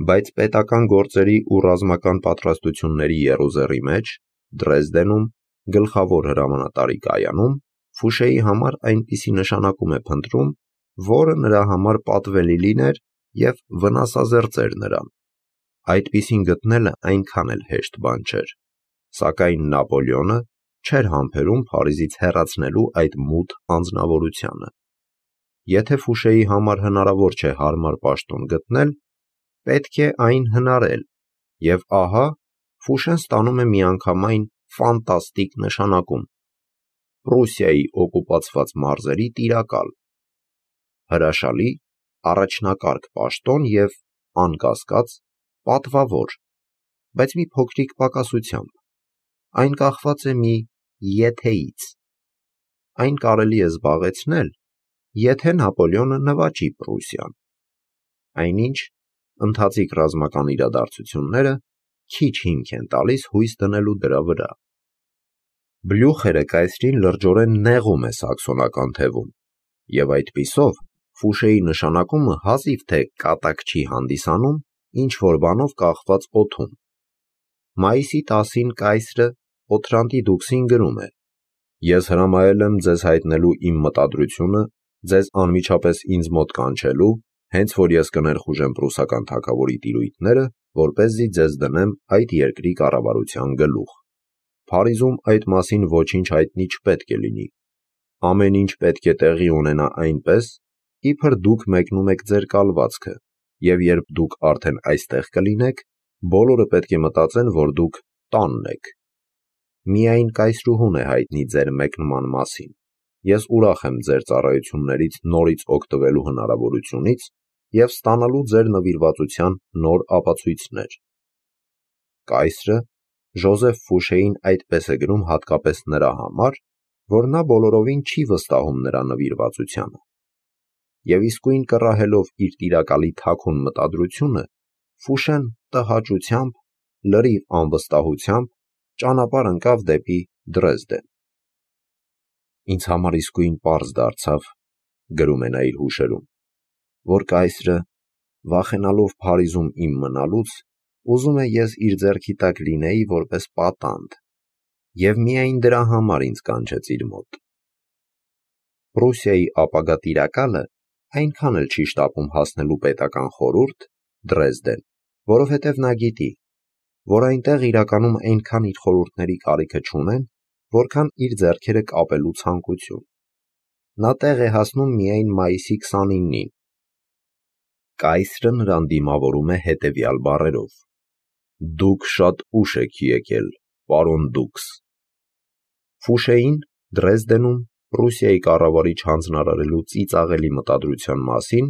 բայց պետական գործերի ու ռազմական պատրաստությունների եռուզեռի մեջ, Դրեզդենում, գլխավոր հրամանատարի կայանում, Ֆուշեի համար այնպիսի նշանակում է փնտրում, որը նրա համար պատվելի լիներ և վնասազերծեր նրան։ Այդպիսին գտնելը այնքան էլ հեշտ բան չէր, սակայն Նապոլեոնը չէր համբերում Փարիզից հեռացնելու այդ մութ անձնավորությանը։ Եթե Ֆուշեի համար հնարավոր չէ հարմար պաշտոն գտնել, պետք է այն հնարել, և ահա Ֆուշեն ստանում է միանգամայն ֆանտաստիկ նշանակում՝ Պրուսիայի օկուպացված մարզերի տիրակալ։ Հրաշալի, առաջնակարգ պաշտոն և, անկասկած, պատվավոր, բայց մի փոքրիկ պակասությամբ. այն կախված է մի «եթեից»։ Այն կարելի է զբաղեցնել, եթե Նապոլեոնը նվաճի Պրուսիան։ Այնինչ, ընթացիկ ռազմական իրադարձությունները քիչ հիմք են տալիս հույս դնելու դրա վրա։ Բլյուխերը կայսրին լրջորեն նեղում է սաքսոնական թևում, և այդպիսով Ֆուշեի նշանակումը հազիվ թե կատակ չի հանդիսանում ինչ-որ բանով կախված օդում։ Մայիսի 10-ին կայսրը Օթրանտի դուքսին գրում է. «Ես հրամայել եմ ձեզ հայտնելու իմ մտադրությունը, ձեզ անմիջապես ինձ մոտ կանչելու, հենց որ ես կներխուժեմ պրուսական թագավորի տիրույթները, որպեսզի ձեզ դնեմ այդ երկրի կառավարության գլուխ։ Փարիզում այդ մասին ոչինչ հայտնի չպետք է լինի։ Ամեն ինչ պետք է տեղի ունենա այնպես, իբր դուք մեկնում եք ձեր կալվածքը, և երբ դուք արդեն այստեղ կլինեք, բոլորը պետք է մտածեն, որ դուք տանն եք։ Միայն կայսրուհուն է հայտնի ձեր մեկնման մասին։ Ես ուրախ եմ ձեր ծառայություններից նորից օգտվելու հնարավորությունից և ստանալու ձեր նվիրվածության նոր ապացույցներ»։ Կայսրը Ժոզեֆ Ֆուշեին այդպես է գրում հատկապես նրա համար, որ նա բոլորովին չի վստահում նրա նվիրվածությանը։ Եվ իսկույն կռահելով իր տիրակալի թաքուն մտադրությունը, Ֆուշեն տհաճությամբ, լրիվ անվստահությամբ ճանապարհ ընկավ դեպի Դրեզդեն։ «Ինձ համար իսկույն պարզ դարձավ, — գրում է նա իր հուշերում, — որ կայսրը, վախենալով Փարիզում իմ մնալուց, ուզում է ես իր ձեռքի տակ լինեի որպես պատանդ, և միայն դրա համար ինձ կանչեց իր մոտ։ Պրուսիայի ապագա տիրակալը այնքան էլ չի շտապում հասնելու պետական խորհուրդ՝ Դրեզդեն, որովհետև նա գիտի, որ այնտեղ իրականում այնքան իր խորհուրդների կարիքը չունեն, որքան իր ձեռքերը կապելու ցանկություն։ Նա տեղ է հասնում միայն մայիսի 29-ին։ Կայսրը նրան դիմավորում է հետևյալ բառերով. «Դուք շատ ուշ եք եկել, պարոն դուքս»։ Ֆուշեին Դրեզդենում Պրուսիայի կառավարիչ հանձնարարելու ծիծաղելի մտադրության մասին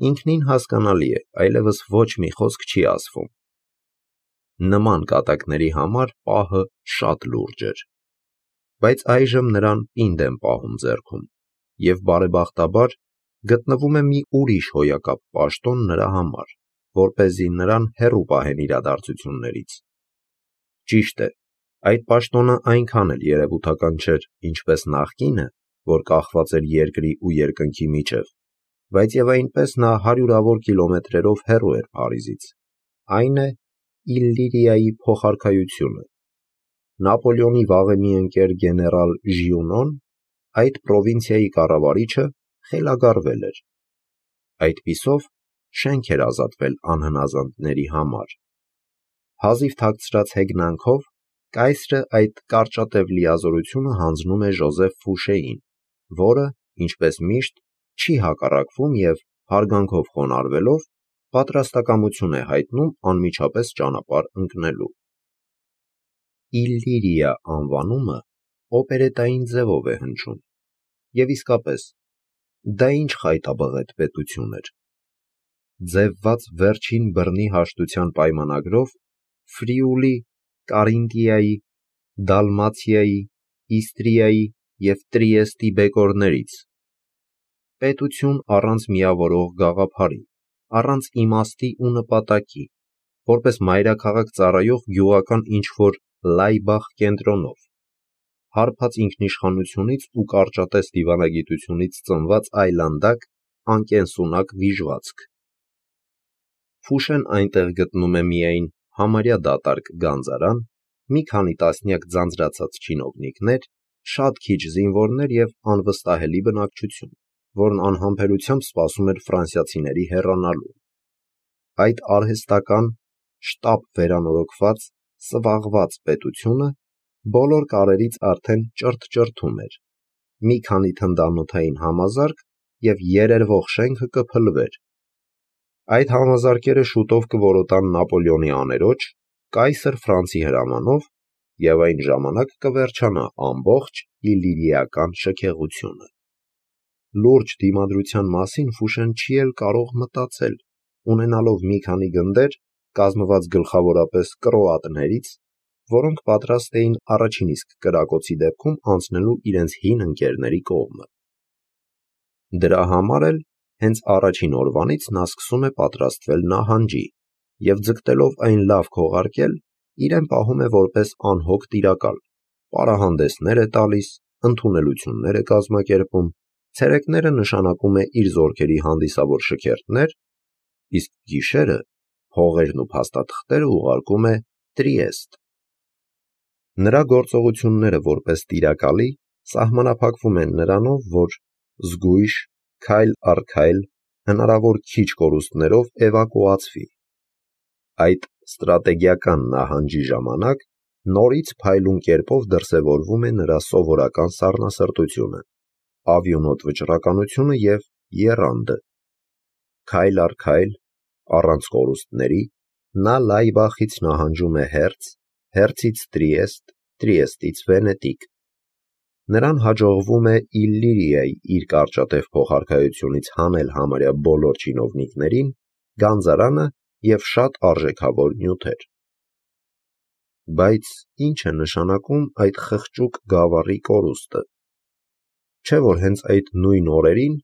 ինքնին հասկանալի է, այլևս ոչ մի խոսք չի ասվում։ Նման կատակների համար պահը շատ լուրջ էր։ Բայց այժմ նրան պինդ են պահում ձեռքում, և բարեբախտաբար գտնվում է մի ուրիշ հոյակապ պաշտոն նրա համար, որպեսզի նրան հեռու պահեն իրադարձություններից։ Ճիշտ է, այդ պաշտոնը այնքան էլ երևութական չէր, ինչպես նախկինը, որ կախված էր երկրի ու երկնքի միջև, բայց և այնպես նա հարյուրավոր կիլոմետրերով հեռու էր Փարիզից, այն է Իլլիրիայի փոխարքայությունը։ Նապոլեոնի վաղեմի ընկեր գեներալ Ժիունոն, այդ պրովինցիայի կառավարիչը, խելագարվել էր։ Այդպիսով շենք էր ազատվել անհնազանդների համար։ Հազիվ թաքցրած հեգնանքով կայսրը այդ կարճատև լիազորությունը հանձնում է Ժոզեֆ Ֆուշեին, որը, ինչպես միշտ, չի հակառակվում և, հարգանքով խոնարհվելով, պատրաստակամություն է հայտնում անմիջապես ճանապարհ ընկնելու։ Իլլիրիա անվանումը օպերետային ձևով է հնչում, և իսկապես, դա ինչ խայտաբղետ պետություն էր։ Ձևված վերջին բռնի հաշտության պայմանագրով Ֆրիուլի, Կարինթիայի, Դալմացիայի, Իստրիայի և Տրիեստի բեկորներից։ Պետություն առանց միավորող գաղափարի, առանց իմաստի ու նպատակի, որպես մայրաքաղաք ծառայող գյուղական ինչ-որ Լայբախ կենտրոնով, հարբած ինքնիշխանությունից ու կարճատև դիվանագիտությունից ծնված այլանդակ, անկենսունակ վիժվածք։ Ֆուշեն այնտեղ գտնում է միայն համարյա դատարկ գանձարան, մի քանի տասնյակ ձանձրացած չինովնիկներ, շատ քիչ զինվորներ և անվստահելի բնակչություն, որն անհամբերությամբ սպասում էր ֆրանսիացիների հեռանալու։ Այդ արհեստական, շտապ վերանորոգված, սվաղված պետությունը բոլոր կարերից արդեն ճրթ-ճրթում էր։ Մի քանի թնդանոթային համազարկ և երերվող շենքը կփլվեր։ Այդ համազարկերը շուտով կորոտան Նապոլեոնի աներոջ, կայսր Ֆրանսի հրամանով, և այն ժամանակ կվերջանա ամբողջ իլիրիական շքեղությունը։ Լուրջ դիմադրության մասին Ֆուշեն չի էլ կարող մտածել, ունենալով մի քանի գնդեր, կազմված գլխավորապես կրոատներից, որոնք պատրաստ էին առաջին իսկ կրակոցի դեպքում անցնելու իրենց հին ընկերների կողմը։ Դրա համար էլ հենց առաջին օրվանից նա սկսում է պատրաստվել նահանջի և ձգտելով այն լավ քողարկել, իրեն պահում է որպես անհոգ տիրակալ, պարահանդեսներ է տալիս, ընդունելություններ է կազմակերպում, ցերեկները նշանակում է իր զորքերի հանդիսավոր շքերթներ, իսկ գիշերը հողերն ու փաստաթղթերը ուղարկում է Տրիեստ։ Նրա գործողությունները որպես տիրակալի սահմանափակվում են նրանով, որ զգույշ, քայլ առ քայլ, հնարավոր քիչ կորուստներով էվակուացվի։ Այդ ստրատեգիական նահանջի ժամանակ նորից փայլուն կերպով դրսևորվում է նրա սովորական սառնասրտությունը, ավյունոտ վճռականությունը և եռանդը։ Քայլ առ քայլ, առանց կորուստների, նա Լայբախից նահանջում է Հերց, Հերցից Տրիեստ, Տրիեստից Վենետիկ։ Նրան հաջողվում է Իլիրիայի իր կարճատև փոխարքայությունից հանել համարյա բոլոր չինովնիկներին, գանձարանը և շատ արժեքավոր նյութեր։ Բայց ի՞նչ է նշանակում այդ խղճուկ գավառի կորուստը։ Չէ՞ որ հենց այդ նույն օրերին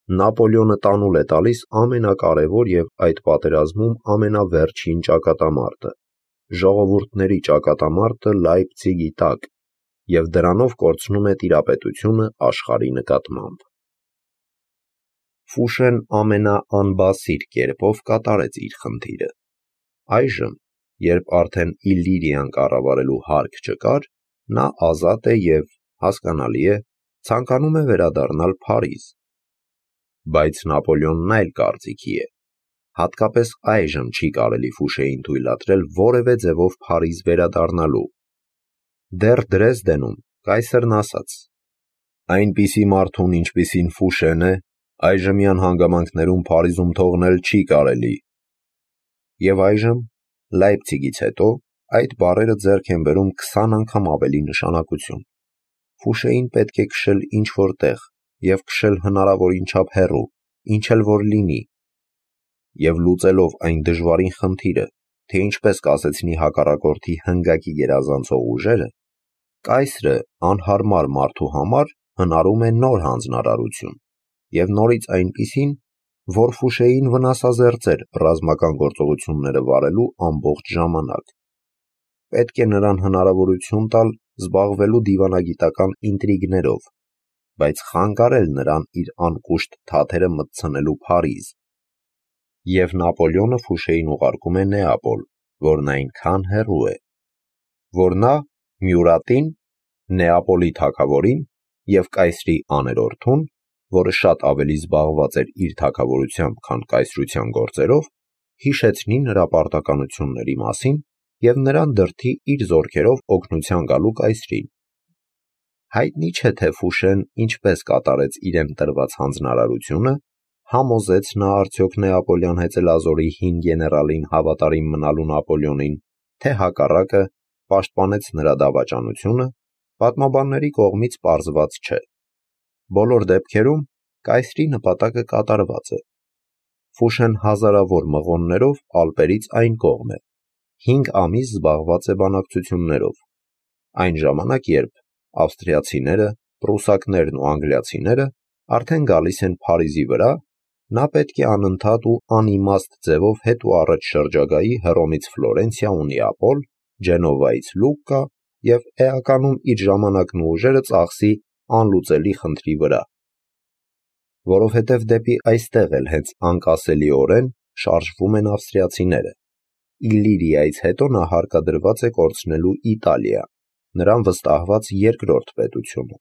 Նապոլեոնը տանուլ է տալիս ամենակարևոր և այդ պատերազմում ամենավերջին ճակատամարտը, ժողովուրդների ճակատամարտը Լայպցիգի տակ, և դրանով կորցնում է տիրապետությունը աշխարհի նկատմամբ։ Ֆուշեն ամենաանբասիր կերպով կատարեց իր խնդիրը։ Այժմ, երբ արդեն Իլիրիան կառավարելու հարկ չկար, նա ազատ է և, հասկանալի է, ցանկանում է վերադառնալ Փարիզ։ Բայց Նապոլեոնն այլ կարծիքի է։ Հատկապես այժմ չի կարելի Ֆուշեին թույլատրել որևէ ձևով Փարիզ վերադառնալու։ Դեռ Դրեզդենում կայսրն ասաց. «Այնպիսի մարդուն, ինչպիսին Ֆուշեն է, այժմյան հանգամանքներում Փարիզում թողնել չի կարելի»։ Եվ այժմ, Լայպցիգից հետո, այդ բառերը ձեռք են բերում 20 անգամ ավելի նշանակություն։ Ֆուշեին պետք է քշել ինչ-որ տեղ և քշել հնարավորին չափ հեռու, ինչ էլ որ լինի։ Եվ լուծելով այն դժվարին խնդիրը, թե ինչպես կասեցնի հակառակորդի հնգակի գերազանցող ուժերը, կայսրը անհարմար մարդու համար հնարում է նոր հանձնարարություն, և նորից այնպիսին, որ Ֆուշեին վնասազերծեր ռազմական գործողությունները վարելու ամբողջ ժամանակ։ Պետք է նրան հնարավորություն տալ զբաղվելու դիվանագիտական ինտրիգներով, բայց խանգարել նրան իր անկուշտ թաթերը մտցնելու Փարիզ։ Եվ Նապոլեոնը Ֆուշեին ուղարկում է Նեապոլ, որն այնքան հեռու է, որ նա Մյուրատին, Նեապոլի թագավորին և կայսրի աներորդուն, որը շատ ավելի զբաղված էր իր թագավորությամբ, քան կայսրության գործերով, հիշեցնի նրա պարտականությունների մասին և նրան դրդի իր զորքերով օգնության գալու կայսրին։ Հայտնի չէ, թե Ֆուշեն ինչպես կատարեց իրեն տրված հանձնարարությունը, համոզեց նա արդյոք Նեապոլյան հեծելազորի հին գեներալին հավատարիմ մնալու Նապոլեոնին, թե հակառակը, պաշտպանեց նրա դավաճանությունը, պատմաբանների կողմից պարզված չէ։ Բոլոր դեպքերում, կայսրի նպատակը կատարված է։ Ֆուշեն հազարավոր մղոններով Ալպերից այն կողմ է, 5 ամիս զբաղված է բանակցություններով։ Այն ժամանակ, երբ ավստրիացիները, պրուսակներն ու անգլիացիները արդեն գալիս են Փարիզի վրա, նա պետք է անընդհատ ու անիմաստ ձևով հետ ու առաջ շրջագայի Հռոմից Ֆլորենցիա ու Նեապոլ, Ջենովայից Լուկկա և էականում իր ժամանակն ու ուժերը ծախսի անլուծելի խնդրի վրա։ Որովհետև դեպի այստեղ էլ հենց անկասելիորեն շարժվում են ավստրիացիները։ Իլիրիայից հետո նա հարկադրված է կորցնելու Իտալիա, նրան վստահված երկրորդ պետությունը։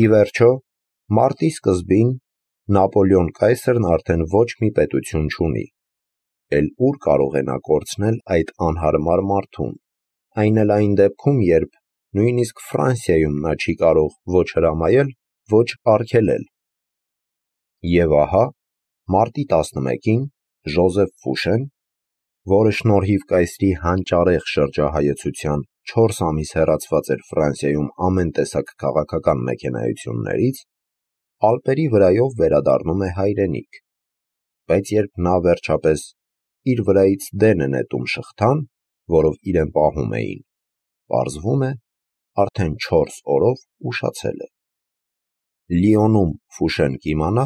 Ի վերջո, մարտի սկզբին Նապոլեոն կայսրն արդեն ոչ մի պետություն չունի։ Էլ ուր կարող է նա կորցնել այդ անհարմար մարդուն, այն էլ այն դեպքում, երբ նույնիսկ Ֆրանսիայում նա չի կարող ոչ հրամայել, ոչ արգելել։ Եվ ահա, մարտի 11-ին Ժոզեֆ Ֆուշեն, որը շնորհիվ կայսրի հանճարեղ շրջահայեցության 4 ամիս հեռացված էր Ֆրանսիայում ամեն տեսակ քաղաքական մեքենայություններից, Ալպերի վրայով վերադառնում է հայրենիք։ Բայց երբ նա վերջապես իր վրայից դեն է նետում շղթան, որով իրեն պահում էին, պարզվում է, արդեն 4 օրով ուշացել է։ Լիոնում Ֆուշեն կիմանա,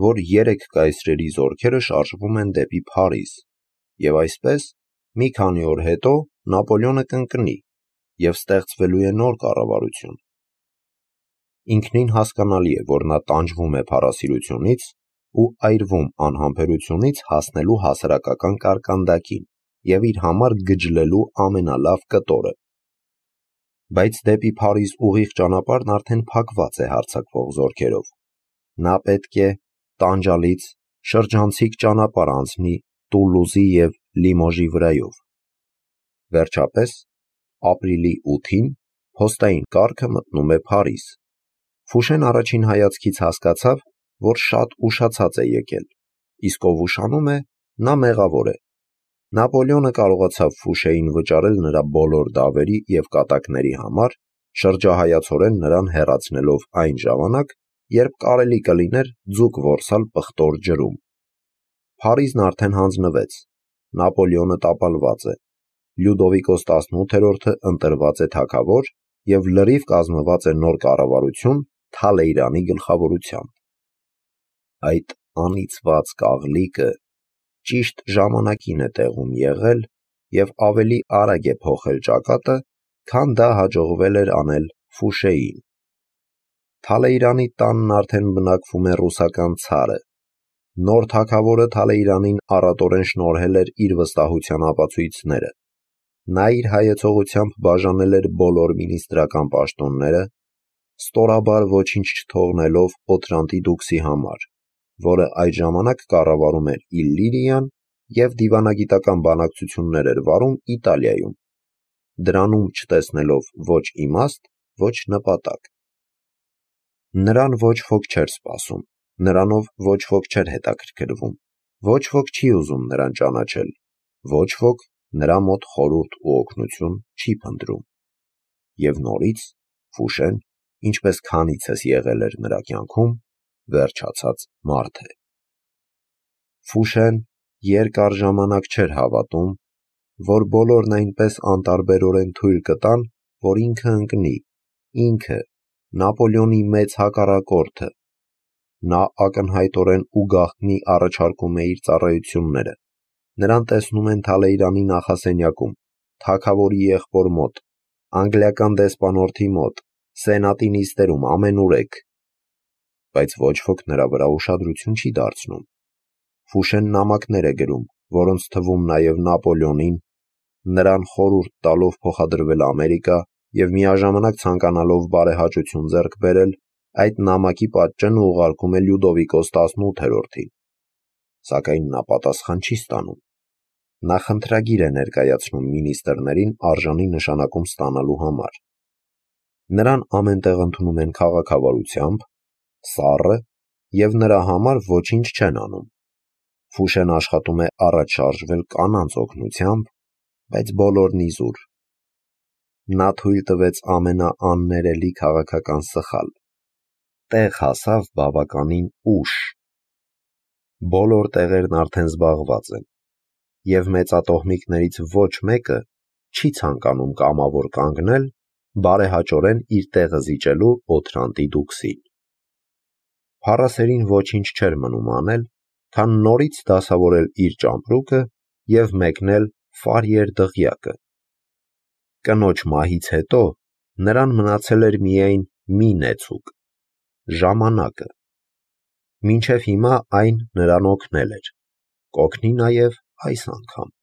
որ 3 կայսրերի զորքերը շարժվում են դեպի Փարիզ, եւ այսպես մի քանի օր հետո Նապոլեոնը կընկնի եւ ստեղծվելու է նոր կառավարություն։ Ինքնին հասկանալի է, որ նա տանջվում է փառասիրությունից ու այրվում անհամբերությունից հասնելու հասարակական կարկանդակին եւ իր համար գջլելու ամենալավ կտորը։ Բայց դեպի Փարիզ ուղիղ ճանապարհն արդեն փակված է հարձակվող զորքերով։ Նա պետք է տանջալից շրջանցիկ ճանապարհ անցնի Տուլուզի եւ Լիմոժի վրայով։ Վերջապես, ապրիլի 8-ին փոստային կառքը մտնում է Փարիզ։ Ֆուշեն առաջին հայացքից հասկացավ, որ շատ ուշացած է եկել, իսկ ով ուշանում է, նա մեղավոր է։ Նապոլեոնը կարողացավ Ֆուշեին վճարել նրա բոլոր դավերի եւ կատակների համար, շրջահայացորեն նրան հեռացնելով այն ժամանակ, երբ կարելի կլիներ ձուկ որսալ պղտոր ջրում։ Փարիզն արդեն հանձնվեց, Նապոլեոնը տապալված է, Լյուդովիկոս 18-րդը ընտրված է թագավոր եւ լրիվ կազմված է նոր կառավարություն Թալեյրանի գլխավորությամբ։ Այդ անիծված կաղլիկը ճիշտ ժամանակին է տեղում եղել եւ ավելի արագ է փոխել ճակատը, քան դա հաջողվել էր անել Ֆուշեին։ Թալեյրանի տանն արդեն բնակվում է ռուսական ցարը։ Նոր թագավորը Թալեյրանին առատորեն շնորհել էր իր վստահության ապացույցները։ Նա իր հայեցողությամբ բաժանել էր բոլոր մինիստրական պաշտոնները, ստորաբար ոչինչ չթողնելով Օտրանտի դուքսի համար, որը այդ ժամանակ կառավարում էր Իլիրիան եւ դիվանագիտական բանակցություններ էր վարում Իտալիայում, դրանում չտեսնելով ոչ իմաստ, ոչ նպատակ։ Նրան ոչ ոք չէր սպասում, նրանով ոչ ոք չէր հետաքրքրվում, ոչ ոք չի ուզում նրան ճանաչել, ոչ ոք նրա մոտ խորհուրդ ու օգնություն չի փնտրում։ Եվ նորից Ֆուշեն, ինչպես քանիցս եղել էր նրա կյանքում, վերջացած մարդ է։ Ֆուշեն երկար ժամանակ չէր հավատում, որ բոլորն այնպես անտարբերորեն թույլ կտան, որ ինքը ընկնի, ինքը, Նապոլեոնի մեծ հակառակորդը։ Նա ակնհայտորեն ու գաղտնի առաջարկում է իր ծառայությունները։ Նրան տեսնում են Թալեյրանի նախասենյակում, թագավորի եղբոր մոտ, անգլիական դեսպանորդի մոտ, սենատի նիստերում ամենուրեք։ Բայց ոչ ոք նրա վրա ուշադրություն չի դարձնում։ Ֆուշեն նամակներ է գրում, որոնց թվում նաև Նապոլեոնին, նրան խորհուրդ տալով փոխադրվել Ամերիկա եւ միաժամանակ ցանկանալով բարեհաճություն ձեռք բերել, այդ նամակի պատճենը ուղարկում է Լյուդովիկոս 18-րդին։ Սակայն նա պատասխան չի ստանում։ Նա խնդրագիր է ներկայացնում մինիստրներին արժանի նշանակում ստանալու համար։ Նրան ամենտեղ ընդունում են քաղաքավարությամբ, սառը եւ նրա համար ոչինչ չեն անում։ Ֆուշեն աշխատում է առաջ շարժվել կանանց օգնությամբ, բայց բոլորն իզուր։ Նա թույլ տվեց ամենաաններելի քաղաքական սխալ։ Տեղ հասավ բավականին ուշ։ Բոլոր տեղերն արդեն զբաղված են, եւ մեծատոհմիկներից ոչ մեկը չի ցանկանում կամավոր կանգնել, բարեհաճորեն իր տեղը զիջելու Օտրանտի դուքսին։ Փառասերին ոչինչ չէր մնում անել, քան նորից դասավորել իր ճամպրուկը եւ մեկնել Ֆարիեր դղյակը։ Կնոջ մահից հետո նրան մնացել էր միայն մի նեցուկ՝ ժամանակը։ Մինչև հիմա այն նրան օգնել էր, կօգնի նաև այս անգամ։